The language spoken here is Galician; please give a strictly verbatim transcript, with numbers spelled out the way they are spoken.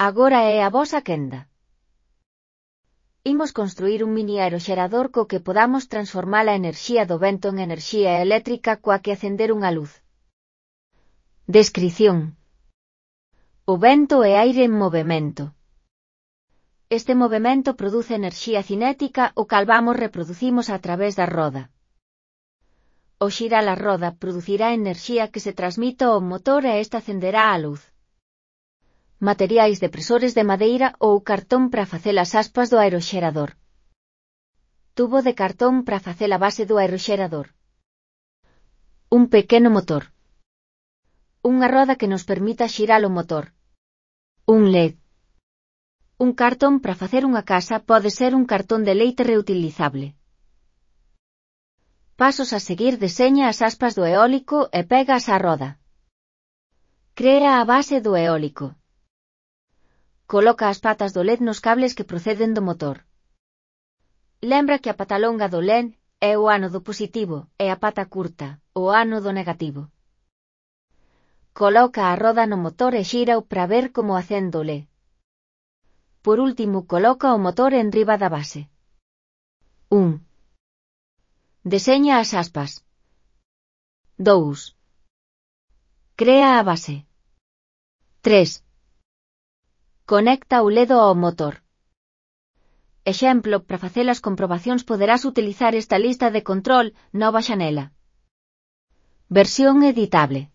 Agora é a vosa quenda. Imos construir un mini aeroxerador co que podamos transformar a enerxía do vento en enerxía eléctrica coa que acender unha luz. Descrición. O vento é aire en movemento. Este movemento produce enerxía cinética o cal vamos reproducimos a través da roda. Ao xirar a roda producirá enerxía que se transmite ao motor e esta acenderá a luz. Materiais depresores de madeira ou cartón para facer as aspas do aeroxerador. Tubo de cartón para facer a base do aeroxerador. Un pequeno motor. Unha roda que nos permita xirar o motor. Un L E D. Un cartón para facer unha casa pode ser un cartón de leite reutilizable. Pasos a seguir: deseña as aspas do eólico e pegas á roda. Crea a base do eólico. Coloca as patas do L E D nos cables que proceden do motor. Lembra que a pata longa do L E D é o ánodo positivo e a pata curta, o ánodo negativo. Coloca a roda no motor e xírao para ver como acende o L E D. Por último, coloca o motor enriba da base. un. Deseña as aspas. dous. Crea a base. tres. Conecta o L E D ao motor. Exemplo: para facer as comprobacións poderás utilizar esta lista de control, nova xanela. Versión editable.